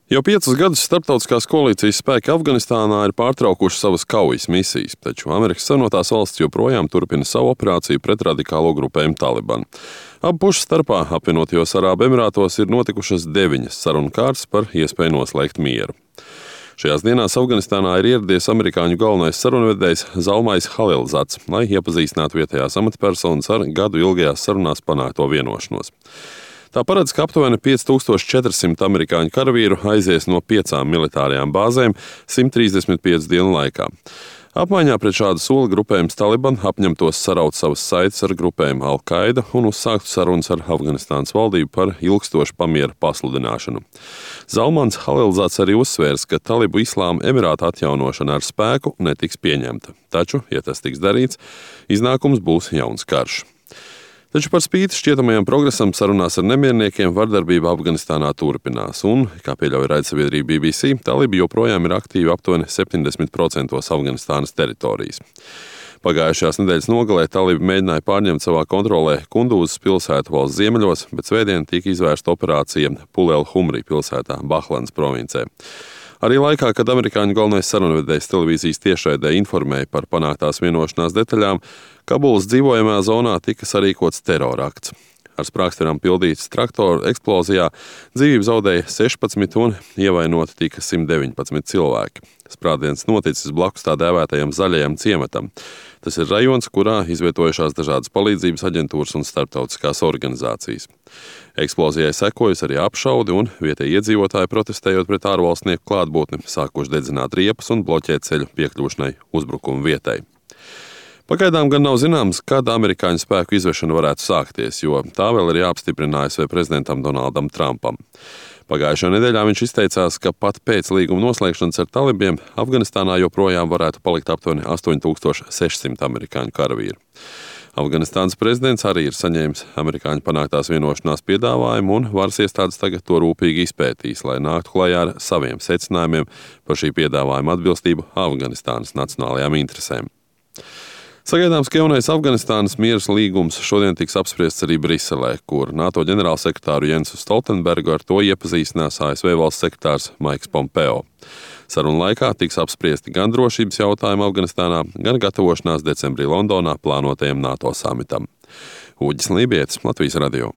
Jau 5 gadus starptautiskās koalīcijas spēki Afganistānā ir pārtraukuši savas kaujas misijas, taču Amerikas Savienotās valstis joprojām turpina savu operāciju pret radikālo grupējumu Taliban. Abu pušu starpā apvienotajos Arābu Emirātos ir notikušas 9 sarunu kārtas par iespēju noslēgt mieru. Šajās dienās Afganistānā ir ieradies amerikāņu galvenais sarunvedējs Zalmais Halilzats, lai iepazīstinātu vietējās amatpersonas ar gadu ilgajās sarunās panākto vienošanos. Tā paredz, ka aptuveni 5400 amerikāņu karavīru aizies no 5 militārajām bāzēm 135 dienu laikā. Apmaiņā pret šādu soli grupējums Taliban apņemtos saraut savas saites ar grupējumu Al-Qaida un uzsāktu sarunas ar Afganistānas valdību par ilgstošu pamiera pasludināšanu. Zalmans Halilzats arī uzsvērs, ka Talibu Islāma Emirāta atjaunošana ar spēku netiks pieņemta. Taču, ja tas tiks darīts, iznākums būs jauns karš. Taču par spīti šķietamajam progresam sarunās ar nemierniekiem vardarbība Afganistānā turpinās, un, kā pieļauj raidsabiedrība BBC, talibi joprojām ir aktīvi aptuveni 70% Afganistānas teritorijas. Pagājušās nedēļas nogalē talibi mēģināja pārņemt savā kontrolē Kundūzas pilsētu valsts ziemeļos, bet svētdien tika izvērsta operācija Pulel-Humri pilsētā Bahlanas provincē. Arī laikā, kad amerikāņu galvenais sarunvedējs televīzijas tiešraidē informēja par panāktās vienošanās detaļām, Kabulas dzīvojamajā zonā tika sarīkots terorakts. Ar sprākstverām pildīts traktoru eksplozijā dzīvību zaudēja 16 un ievainoti tika 119 cilvēki. Sprādziens noticis blakus tā dēvētajam zaļajam ciematam. Tas ir rajons, kurā izvietojušās dažādas palīdzības aģentūras un starptautiskās organizācijas. Eksplozijai sekojas arī apšaudi un vietēji iedzīvotāji protestējot pret ārvalstnieku klātbūtni, sākuši dedzināt riepas un bloķēt ceļu piekļūšanai uzbrukumu vietai. Pagaidām gan nav zināms, kad amerikāņu spēku izvešana varētu sākties, jo tā vēl ir jāapstiprina ASV prezidentam Donaldam Trumpam. Pagājušajā nedēļā viņš izteicās, ka pat pēc līguma noslēgšanas ar talibiem Afganistānā joprojām varētu palikt aptuveni 8600 amerikāņu karavīru. Afganistānas prezidents arī ir saņēmis amerikāņu panāktās vienošanās piedāvājumu, un varas iestādes tagad to rūpīgi izpētīs, lai nāktu klajā ar saviem secinājumiem par šī piedāvājuma atbilstību Afganistānas nacionālajām interesēm. Sagaidāms, ka jaunais Afganistānas mieras līgums šodien tiks apspriests arī Briselē, kur NATO ģenerālsekretāru Jensu Stoltenbergu ar to iepazīstinās ASV valsts sekretārs Maiks Pompeo. Sarunu laikā tiks apspriesti gan drošības jautājumi Afganistānā, gan gatavošanās decembrī Londonā plānotajam NATO samitam. Uģis Lībietis, Latvijas radio.